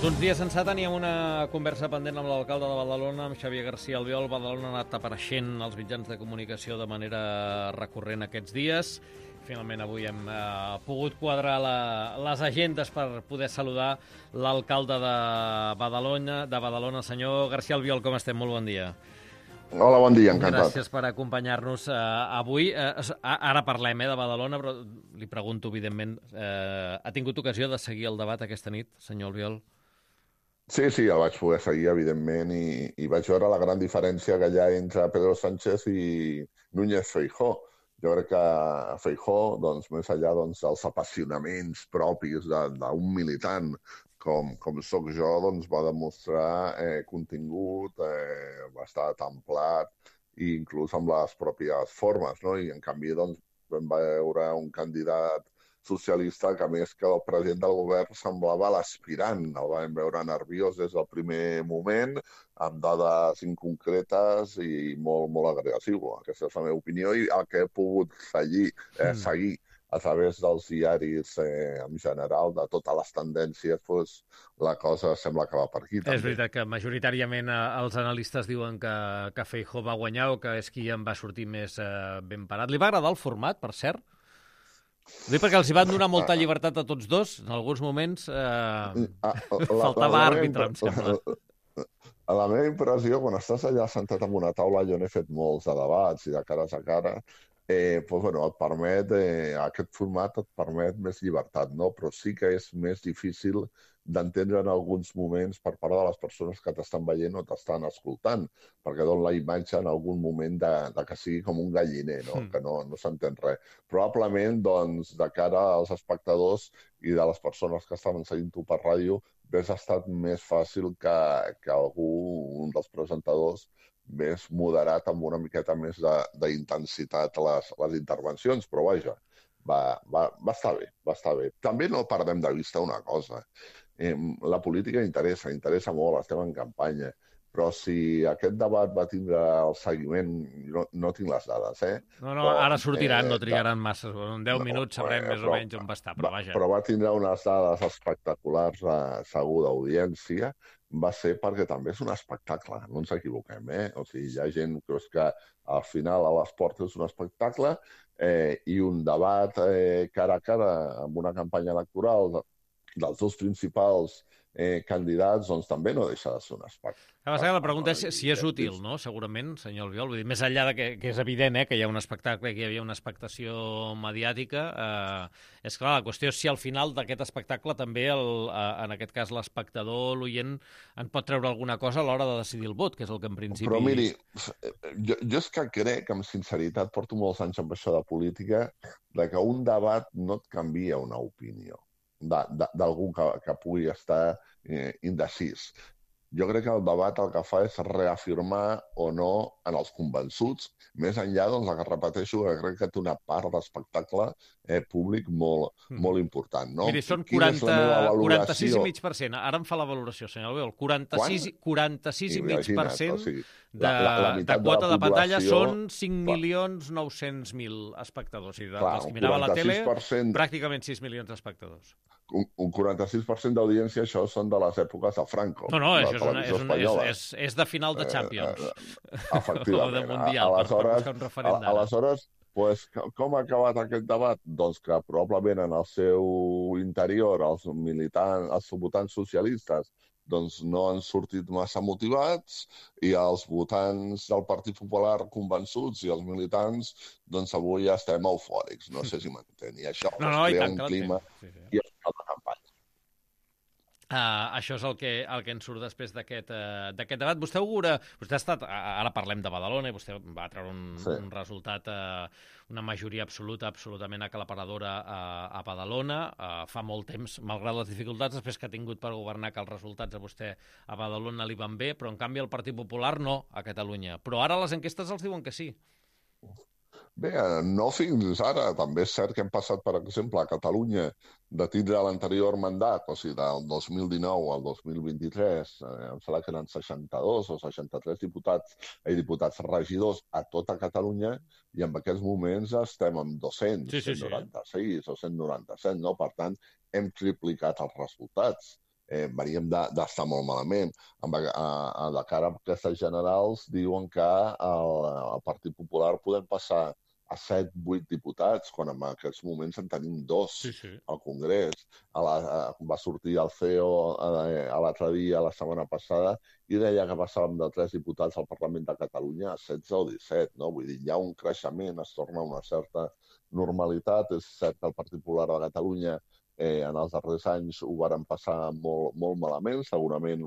Uns dies ençà teníem una conversa pendent amb l'alcalde de Badalona, amb Xavier García Albiol. Badalona ha anat apareixent als mitjans de comunicació de manera recurrent aquests dies. Finalment avui hem pogut quadrar les agendes per poder saludar l'alcalde de Badalona, senyor García Albiol. Com estem? Molt bon dia. Hola, bon dia, encantat. Gràcies per acompanyar-nos avui. Ara parlem de Badalona, però li pregunto, evidentment, ha tingut ocasió de seguir el debat aquesta nit, senyor Albiol? Sí, el vaig poder seguir, evidentment, i vaig veure la gran diferència que hi ha entre Pedro Sánchez i Núñez Feijóo. Jo crec que Feijóo, doncs, més enllà dels apassionaments propis d'un militant com sóc jo, doncs va demostrar contingut, va estar templat, i inclús amb les pròpies formes, no? I en canvi, doncs, vam veure un candidat socialista que, més que el president del govern, semblava l'aspirant. El vam veure nerviós des del primer moment, amb dades inconcretes i molt agressiu. Aquesta és la meva opinió i el que he pogut seguir a través dels diaris en general, de totes les tendències, doncs, la cosa sembla que va per aquí. També. És veritat que majoritàriament els analistes diuen que Feijóo va guanyar o que és qui en va sortir més ben parat. Li va agradar el format, per cert? Ho dic perquè els hi van donar molta llibertat a tots dos. En alguns moments faltava àrbitre, em sembla. La meva impressió, quan estàs allà sentat en una taula, jo n'he fet molts de debats i de cares a cara, et permet, aquest format et permet més llibertat, no? Però sí que és més difícil d'entendre en alguns moments per part de les persones que t'estan veient o t'estan escoltant, perquè dona la imatge en algun moment de que sigui com un galliner, no? Que no s'entén res. Probablement, doncs, de cara als espectadors i de les persones que estaven seguint-ho per ràdio, hauria estat més fàcil que algú, un dels presentadors, més moderat, amb una miqueta més d'intensitat a les intervencions, però vaja, va estar bé. També no perdem de vista una cosa. La política interessa molt, estem en campanya, però si aquest debat va tindre el seguiment, no tinc les dades, No, ara sortiran, no trigaran massa, en 10 minuts sabrem més o menys on va estar, però vaja. Però va tindre unes dades espectaculars, segur, d'audiència, va ser perquè també és un espectacle, no ens equivoquem, O sigui, hi ha gent que al final a l'esport és un espectacle i un debat cara a cara amb una campanya electoral dels dos principals candidats, doncs també no deixa de ser un espectacle. La pregunta és si és útil, no? Segurament, senyor Albiol. Vull dir, més enllà de que és evident que hi ha un espectacle i que hi havia una expectació mediàtica, és clar, la qüestió és si al final d'aquest espectacle també, en aquest cas, l'espectador, l'oient, en pot treure alguna cosa a l'hora de decidir el vot, que és el que en principi... Però miri, jo és que crec, amb sinceritat, porto molts anys amb això de política, que un debat no et canvia una opinió d'algú que pugui estar indecís. Jo crec que el debat el que fa és reafirmar o no en els convençuts, més enllà, doncs, que repeteixo, que crec que té una part d'espectacle públic molt important. No? Miri, són 46,5%. Ara em fa la valoració, senyor Albiol. 46,5% de quota de pantalla són 5.900.000 espectadors. I dels que mirava la tele, pràcticament 6 milions d'espectadors. Un 46% d'audiència, això són de les èpoques de Franco. No, això és de final de Champions. Efectivament. O de Mundial, per buscar un referent d'ara. Aleshores, com ha acabat aquest debat? Doncs que probablement en el seu interior els militants, els votants socialistes, doncs no han sortit massa motivats i els votants del Partit Popular convençuts i els militants, doncs avui ja estem eufòrics. No sé si m'entén. I això crea un clima i és una campanya. Això és el que ens surt després d'aquest debat. Vostè augura... Vostè ha estat... Ara parlem de Badalona i vostè va treure un resultat, una majoria absolutament aclaparadora a Badalona. Fa molt temps, malgrat les dificultats després que ha tingut per governar, que els resultats a vostè a Badalona li van bé, però en canvi el Partit Popular no, a Catalunya. Però ara les enquestes els diuen que sí. Bé, no fins ara. També és cert que hem passat, per exemple, a Catalunya de tindre l'anterior mandat, o sigui, del 2019 al 2023, em sembla que eren 62 o 63 diputats regidors a tota Catalunya, i en aquests moments estem amb 196 o 197, no? Per tant, hem triplicat els resultats. veníem d'estar molt malament. De cara a aquestes generals diuen que el Partit Popular podem passar a 7-8 diputats, quan en aquests moments en tenim 2 al Congrés. Va sortir el CEO l'altre dia, la setmana passada, i deia que passàvem de 3 diputats al Parlament de Catalunya a 16 o 17. No? Vull dir, hi ha un creixement, es torna a una certa normalitat. És cert que el Partit Popular de Catalunya en els darrers anys ho varen passar molt, molt malament, segurament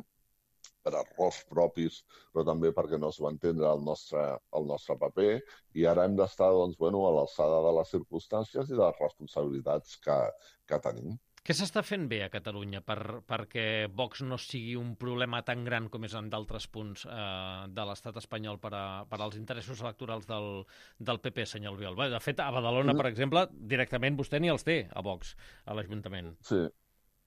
per errors propis, però també perquè no es va entendre el nostre paper, i ara hem d'estar a l'alçada de les circumstàncies i de les responsabilitats que tenim. Què s'està fent bé a Catalunya perquè Vox no sigui un problema tan gran com és en d'altres punts de l'estat espanyol per als interessos electorals del PP, senyor Albiol? De fet, a Badalona, per exemple, directament vostè ni els té, a Vox, a l'Ajuntament.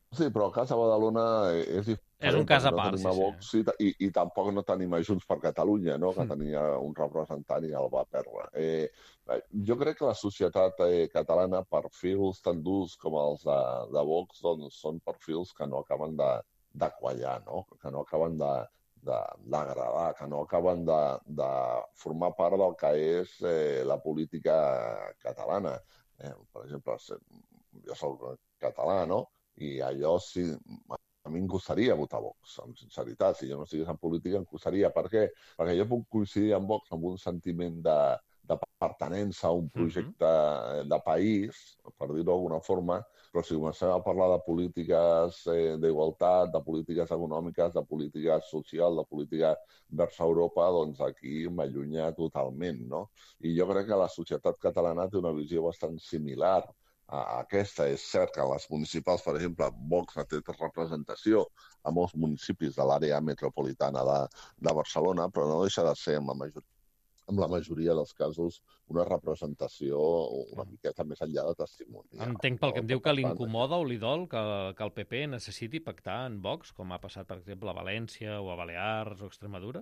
Sí, però el cas de Badalona és diferent. És un cas a part, Vox, i tampoc no tenim Junts per Catalunya, no? Que tenia un representant i el va perdre. Jo crec que la societat catalana, perfils tan durs com els de Vox, doncs són perfils que no acaben de quallar, no? Que no acaben d'agradar, que no acaben de formar part del que és la política catalana. Per exemple, jo soc català, no? I allò sí, a mi em costaria votar Vox, amb sinceritat. Si jo no estigués en política, em costaria. Per què? Perquè jo puc coincidir amb Vox amb un sentiment de pertinença a un projecte de país, per dir-ho d'alguna forma, però si comencem a parlar de polítiques d'igualtat, de polítiques econòmiques, de política social, de política vers Europa, doncs aquí m'allunya totalment, no? I jo crec que la societat catalana té una visió bastant similar a aquesta. És cert que a les municipals, per exemple, Vox ha tret representació a molts municipis de l'àrea metropolitana de Barcelona, però no deixa de ser, en la majoria dels casos, una representació una miqueta més enllà de testimoni. Entenc pel que em diu que li incomoda o li dol que el PP necessiti pactar en Vox, com ha passat, per exemple, a València o a Balears o a Extremadura?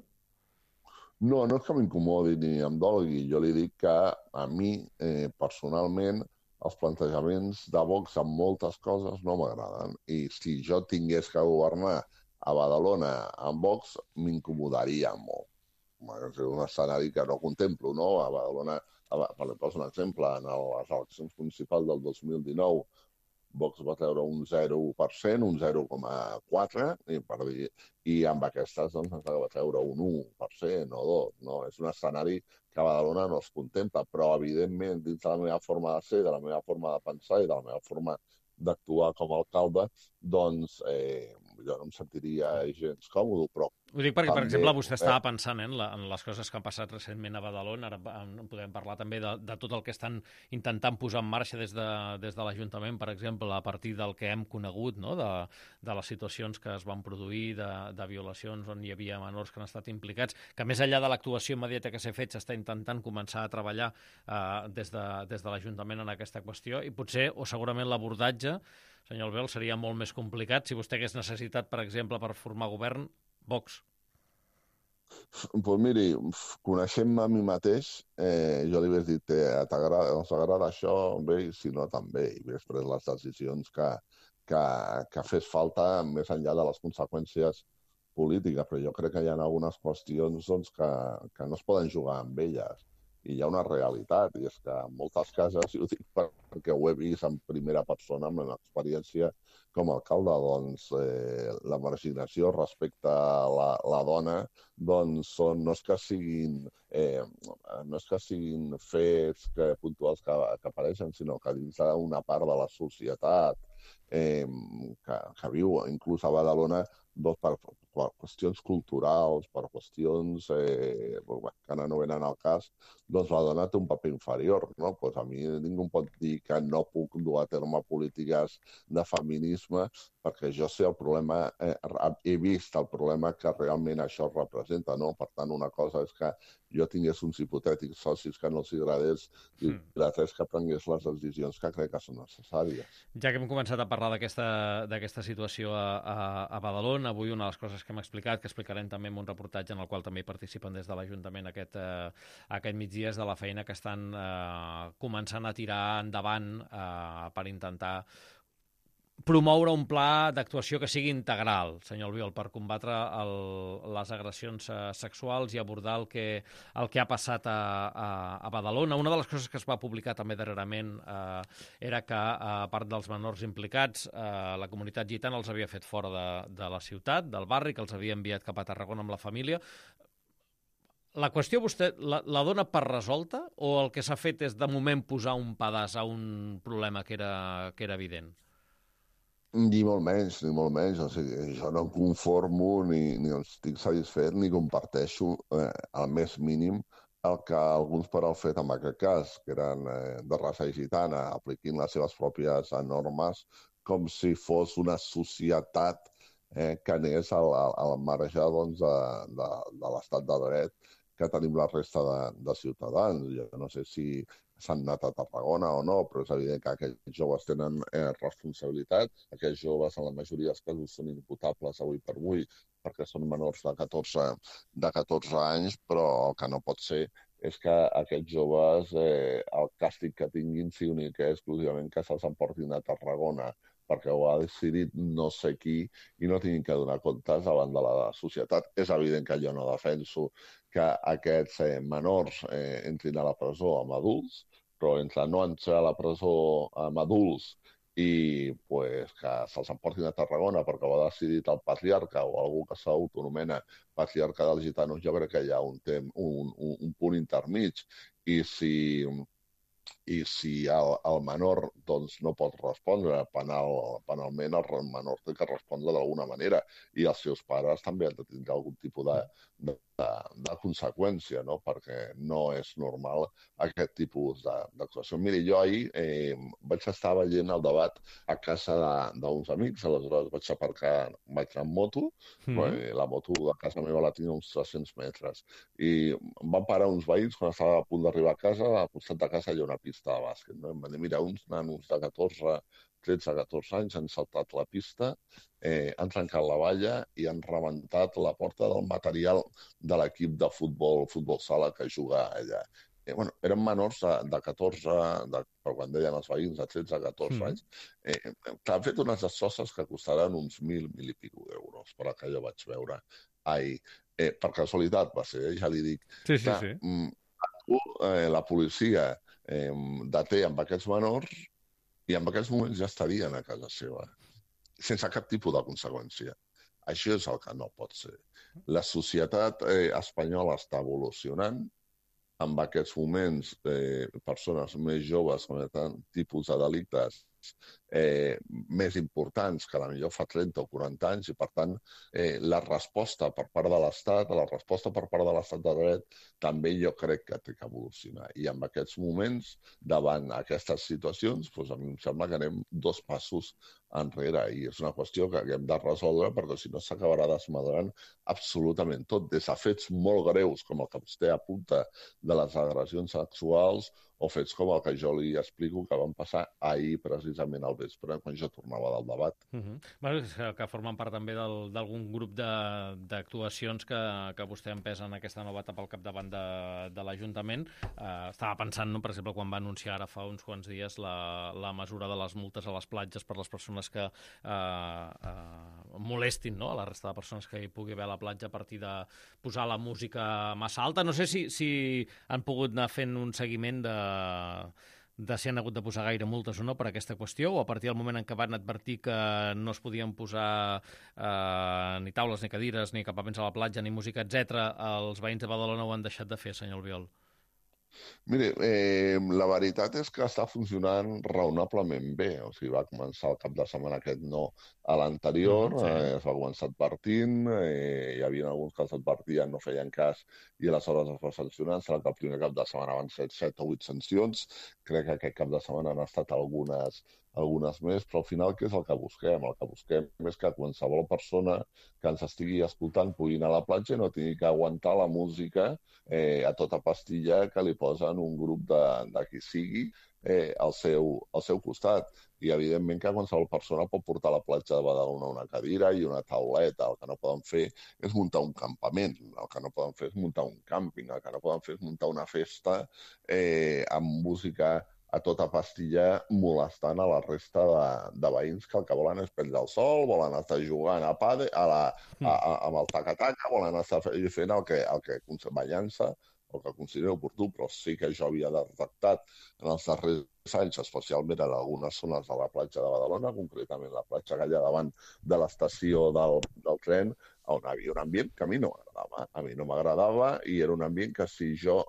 No és que m'incomodi ni em dolgui. Jo li dic que a mi, personalment, els plantejaments de Vox en moltes coses no m'agraden. I si jo tingués que governar a Badalona amb Vox, m'incomodaria molt. És un escenari que no contemplo, no? A Badalona, per exemple, un exemple, en les eleccions municipals del 2019, Vox va treure un 0%, un 0,4%, i amb aquestes doncs, ens va treure un 1% o 2%. No? És un escenari que a Badalona no es contempla, però evidentment dins de la meva forma de ser, de la meva forma de pensar i de la meva forma d'actuar com a alcalde, doncs jo no em sentiria gens còmode, però ho dic perquè, per exemple, vostè estava pensant en les coses que han passat recentment a Badalona. Ara podem parlar també de tot el que estan intentant posar en marxa des de l'Ajuntament, per exemple, a partir del que hem conegut, no? de les situacions que es van produir, de violacions on hi havia menors que han estat implicats, que més enllà de l'actuació immediata que s'ha fet, s'està intentant començar a treballar des de l'Ajuntament en aquesta qüestió, i potser, o segurament l'abordatge, senyor Albiol, seria molt més complicat si vostè hagués necessitat, per exemple, per formar govern, Vox. Doncs miri, coneixent-me a mi mateix, jo li hauria dit, us agrada això? Bé, i si no, també. I hauria pres les decisions que fes falta més enllà de les conseqüències polítiques. Però jo crec que hi ha algunes qüestions doncs, que no es poden jugar amb elles. I hi ha una realitat, i és que en moltes cases, i ho dic perquè ho he vist en primera persona, amb l'experiència com a alcalde, doncs la marginació respecte a la dona doncs no és que siguin fets puntuals que apareixen, sinó que dins d'una part de la societat que viu inclús a Badalona, doncs per qüestions culturals, per qüestions que ara no venen al cas, doncs la dona té un paper inferior, no? Pues a mi ningú em pot dir que no puc dur a terme polítiques de feminisme perquè jo sé el problema, he vist el problema que realment això representa, no? Per tant, una cosa és que jo tingués uns hipotètics socis que no els agradés i l'altra és que prengués les decisions que crec que són necessàries. Ja que hem començat a parlar d'aquesta situació a Badalona, avui una de les coses que hem explicat, que explicarem també en un reportatge en el qual també participen des de l'Ajuntament aquest migdia, és de la feina que estan començant a tirar endavant per intentar promoure un pla d'actuació que sigui integral, senyor Albiol, per combatre les agressions sexuals i abordar el que ha passat a Badalona. Una de les coses que es va publicar també darrerament era que, a part dels menors implicats, la comunitat gitana els havia fet fora de la ciutat, del barri, que els havia enviat cap a Tarragona amb la família. La qüestió vostè la dona per resolta o el que s'ha fet és, de moment, posar un pedaç a un problema que era evident? Ni molt menys, ni molt menys. O sigui, jo no em conformo ni estic satisfet ni comparteixo al més mínim el que alguns per al fet en aquest cas, que eren de raça gitana, apliquin les seves pròpies normes com si fos una societat que anés al marge doncs, de l'estat de dret que tenim la resta de ciutadans. Jo no sé si s'han anat a Tarragona o no, però és evident que aquells joves tenen responsabilitat. Aquells joves, en la majoria dels casos, són imputables avui per avui perquè són menors de 14 anys, però el que no pot ser és que aquests joves, el càstig que tinguin sigui únic i exclusivament que se'ls emportin a Tarragona perquè ho ha decidit no sé qui i no tinguin que donar comptes davant de la societat. És evident que jo no defenso que aquests menors entrin a la presó amb adults, però entre no entrar a la presó amb adults i pues, que se'ls emportin a Tarragona perquè ho ha decidit el patriarca o algú que s'autonomena patriarca dels gitanos, jo crec que hi ha un punt intermig. I si el menor doncs, no pot respondre penalment, el menor té que respondre d'alguna manera i els seus pares també han de tindre algun tipus de conseqüència, no? Perquè no és normal aquest tipus d'actuació. Miri, jo ahir vaig estar veient el debat a casa d'uns amics, aleshores vaig aparcar, vaig anar amb moto, la moto de casa meva la tinc a uns 300 metres, i em van parar uns veïns quan estava a punt d'arribar a casa, al costat de casa hi ha una pista de bàsquet, no? Em van dir, mira, uns nanos de 13-14 anys han saltat la pista, han trencat la valla i han rebentat la porta del material de l'equip de futbol sala que juga allà. Bueno, eren menors de 14, però quan deien els veïns, de 13-14 anys, que han fet unes destrosses que costaran uns 1.000 i escaig d'euros, per que jo vaig veure ahir. Per casualitat va ser, ja li dic. Sí. La policia deté amb aquests menors i en aquests moments ja estarien a casa seva, sense cap tipus de conseqüència. Això és el que no pot ser. La societat espanyola està evolucionant. En aquests moments, persones més joves cometen tipus de delictes més importants que potser fa 30 o 40 anys i, per tant, la resposta per part de l'Estat, de dret, també jo crec que té que evolucionar. I en aquests moments, davant aquestes situacions, doncs a mi em sembla que anem 2 passos enrere i és una qüestió que hem de resoldre perquè si no s'acabarà desmadrant absolutament tot, des de fets molt greus com el que vostè apunta de les agressions sexuals o fets com el que jo li explico que van passar ahir precisament al vespre quan jo tornava del debat. Bueno, que formen part també d'algun grup d'actuacions que vostè empesa en aquesta nova etapa al capdavant de l'Ajuntament. Estava pensant, no, per exemple, quan va anunciar ara fa uns quants dies la mesura de les multes a les platges per les persones que molestin, no?, a la resta de persones que hi pugui haver a la platja a partir de posar la música massa alta. No sé si han pogut anar fent un seguiment de si han hagut de posar gaire multes o no per aquesta qüestió, o a partir del moment en què van advertir que no es podien posar ni taules, ni cadires, ni equipaments a la platja, ni música, etc., els veïns de Badalona ho han deixat de fer, senyor Albiol? Mire, la veritat és que està funcionant raonablement bé. O sigui, va començar el cap de setmana aquest no a l'anterior, es va començar advertint, hi havia alguns que els advertien, no feien cas, i aleshores es va sancionar. Serà que el primer cap de setmana van ser 7 o 8 sancions. Crec que aquest cap de setmana han estat algunes més, però al final què és el que busquem? El que busquem és que qualsevol persona que ens estigui escoltant pugui anar a la platja i no tingui que aguantar la música a tota pastilla que li posen un grup de qui sigui al seu costat. I evidentment que qualsevol persona pot portar a la platja de Badalona una cadira i una tauleta. El que no poden fer és muntar un campament, el que no poden fer és muntar un càmping, el que no poden fer és muntar una festa amb música a tota pastilla molestant a la resta de veïns que el que volen és prendre el sol, volen estar jugant a pàdel, amb el taca-taca, volen estar fent el que ballant-se, el que considero oportú, però sí que jo havia detectat en els darrers anys, especialment en algunes zones de la platja de Badalona, concretament la platja que hi ha davant de l'estació del tren, on hi havia un ambient que a mi no m'agradava. A mi no m'agradava i era un ambient que si jo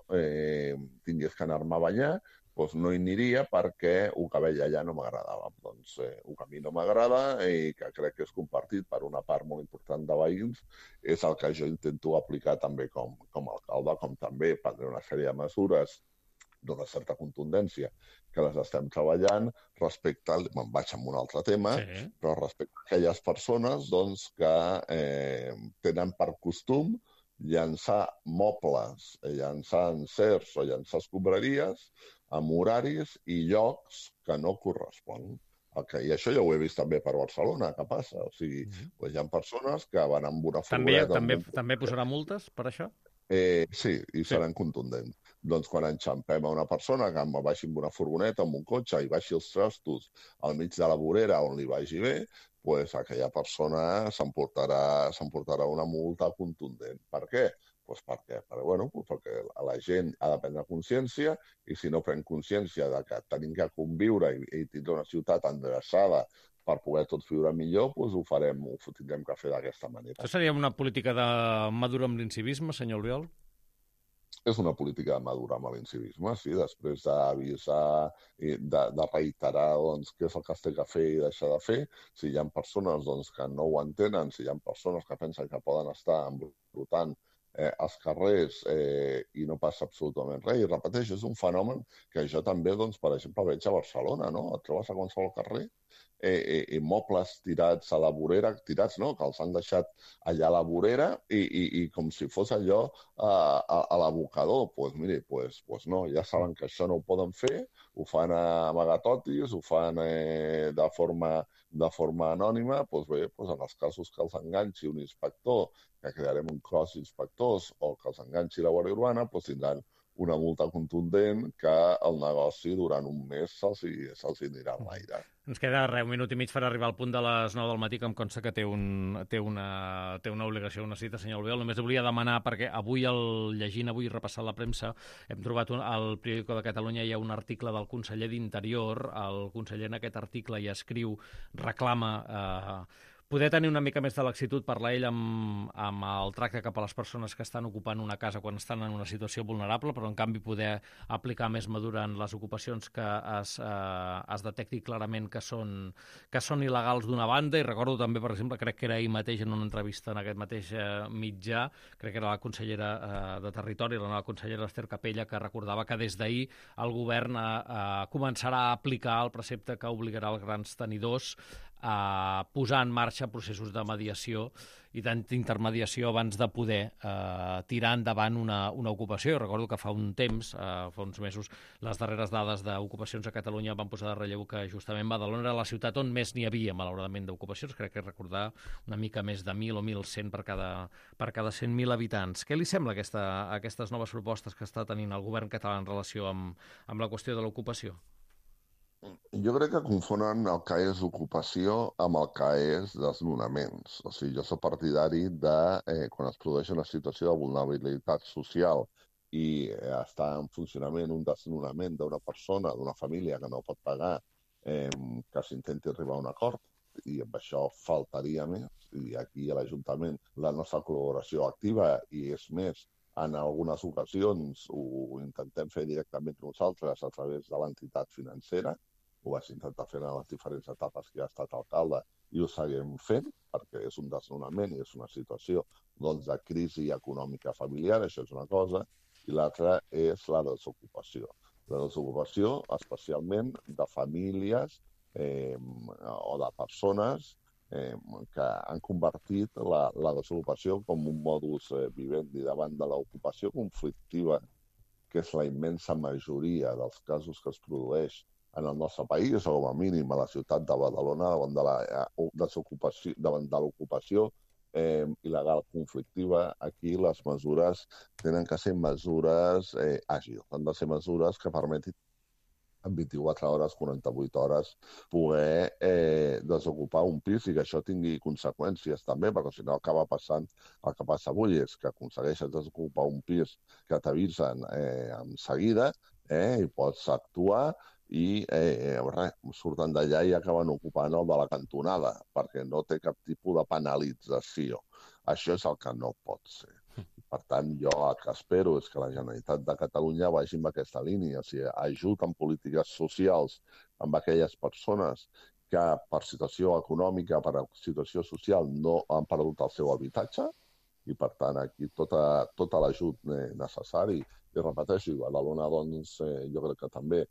tingués que anar-me a banyar, doncs no hi aniria perquè el que veia allà no m'agradava. Doncs el que a mi no m'agrada i que crec que és compartit per una part molt important de veïns és el que jo intento aplicar també com a alcalde, com també prendre una sèrie de mesures d'una certa contundència que les estem treballant respecte, me'n vaig amb un altre tema, però respecte a aquelles persones doncs, que tenen per costum llançar mobles, llançar encerts o llançar escombraries amb horaris i llocs que no corresponen. I això ja ho he vist també per Barcelona, que passa. O sigui, hi ha persones que van amb una furgoneta... També posarà multes per això? Sí, i seran contundents. Doncs quan enxampem a una persona que baixi amb una furgoneta, amb un cotxe, i baixi els trastos al mig de la vorera on li vagi bé, doncs aquella persona s'emportarà una multa contundent. Per què? Doncs perquè la gent ha de prendre consciència i si no pren consciència de que tenim que conviure i tindre una ciutat endreçada per poder tots viure millor, doncs ho tindrem que fer d'aquesta manera. Això seria una política de madurar amb l'incivisme, senyor Albiol? És una política de madurar amb l'incivisme, sí, després d'avisar i de reiterar doncs, què és el que es té que fer i deixar de fer. Si hi ha persones doncs, que no ho entenen, si hi ha persones que pensen que poden estar embrutant als carrers i no passa absolutament res. I repeteixo, és un fenomen que jo també, doncs, per exemple, veig a Barcelona, no? Et trobes a qualsevol carrer mobles tirats a la vorera, tirats no, que els han deixat allà a la vorera i com si fos allò a l'abocador. Doncs miri, no, ja saben que això no ho poden fer, ho fan a amagatotis, ho fan de forma anònima, doncs bé, en els casos que els enganxi un inspector, que crearem un cos d'inspectors, o que els enganxi la Guàrdia Urbana, doncs tindran una multa contundent que el negoci durant un mes se'ls anirà a l'aire. Ens queda un minut i mig per arribar al punt de les 9 del matí, que em consta que té una obligació, una cita, senyor Albiol. Només volia demanar, perquè avui, llegint avui i repassant la premsa, hem trobat al Periódico de Catalunya hi ha un article del conseller d'Interior. El conseller en aquest article hi escriu, reclama poder tenir una mica més de laxitud, parla ell, amb el tracte cap a les persones que estan ocupant una casa quan estan en una situació vulnerable, però en canvi poder aplicar més mesura en les ocupacions que es detecti clarament que són il·legals d'una banda. I recordo també, per exemple, crec que era ahir mateix en una entrevista en aquest mateix mitjà, crec que era la consellera de Territori, la nova consellera Esther Capella, que recordava que des d'ahir el govern començarà a aplicar el precepte que obligarà els grans tenidors a posar en marxa processos de mediació i d'intermediació abans de poder tirar endavant una ocupació. Jo recordo que fa un temps, fa uns mesos, les darreres dades d'ocupacions a Catalunya van posar de relleu que justament Badalona era la ciutat on més n'hi havia, malauradament, d'ocupacions. Crec que recordar una mica més de 1.000 o 1.100 per cada 100.000 habitants. Què li sembla aquestes noves propostes que està tenint el govern català en relació amb la qüestió de l'ocupació? Jo crec que confonen el que és ocupació amb el que és desnonaments. O sigui, jo soc partidari de quan es produeix una situació de vulnerabilitat social i està en funcionament un desnonament d'una persona, d'una família que no pot pagar, que s'intenti arribar a un acord, i amb això faltaria més. I aquí a l'Ajuntament la nostra col·laboració activa, i és més, en algunes ocasions ho intentem fer directament nosaltres a través de l'entitat financera. Ho vaig intentar fer en les diferents etapes que ha estat alcalde i ho seguim fent perquè és un desnonament i és una situació de crisi econòmica familiar, això és una cosa, i l'altra és la desocupació. La desocupació especialment de famílies o de persones que han convertit la desocupació com un modus vivendi davant de l'ocupació conflictiva, que és la immensa majoria dels casos que es produeix en el nostre país, o com a mínim a la ciutat de Badalona, davant de l'ocupació il·legal conflictiva. Aquí les mesures tenen que ser mesures àgils, han de ser mesures que permetin en 24 hores, 48 hores, poder desocupar un pis i que això tingui conseqüències també, perquè si no acaba passant el que passa avui, és que aconsegueixes desocupar un pis que t'avisen en seguida i pots actuar i res, surten d'allà i acaben ocupant el de la cantonada, perquè no té cap tipus de penalització. Això és el que no pot ser. Per tant, jo el que espero és que la Generalitat de Catalunya vagi en aquesta línia, o sigui, ajut en polítiques socials amb aquelles persones que per situació econòmica, per situació social, no han perdut el seu habitatge, i per tant aquí tot l'ajut necessari. I repeteixo, a Badalona doncs, jo crec que també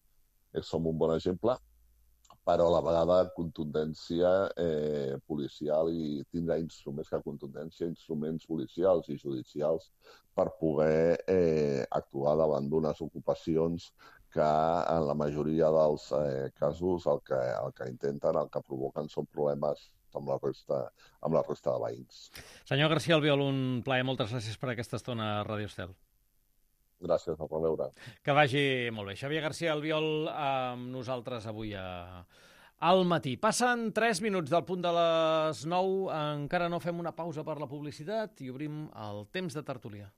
som un bon exemple, però a la vegada contundència policial i tindrà instruments que contundència, instruments policials i judicials per poder actuar davant d'unes ocupacions que en la majoria dels casos el que intenten, el que provoquen són problemes amb la resta de veïns. Senyor García Albiol, un plaer. Moltes gràcies per aquesta estona a Ràdio Estel. Gràcies, a reveure. Que vagi molt bé. Xavier García Albiol amb nosaltres avui al matí. Passen 3 minuts del punt de les 9. Encara no fem una pausa per la publicitat i obrim el temps de tertúlia.